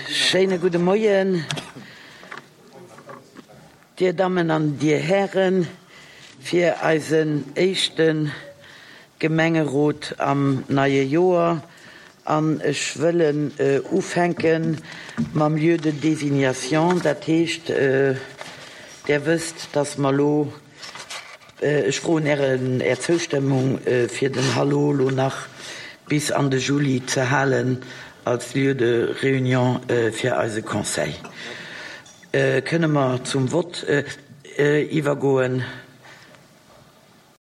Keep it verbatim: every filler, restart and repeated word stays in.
Schéine gudde Moien, Dir Dammen an Dir Hären, fir eisen éischte Gemengerot am neie Joer. An ech wëllen ufänke mam Lieu de désignation. Dat heescht, Der wësst, dass mer elo, ech froen Ären, Är Zoustëmmung, fir den Hallo elo nach bis an de Juli ze halen als Lieu de réunion fir eise Conseil. Kënne mer zum Vott iwwergoen?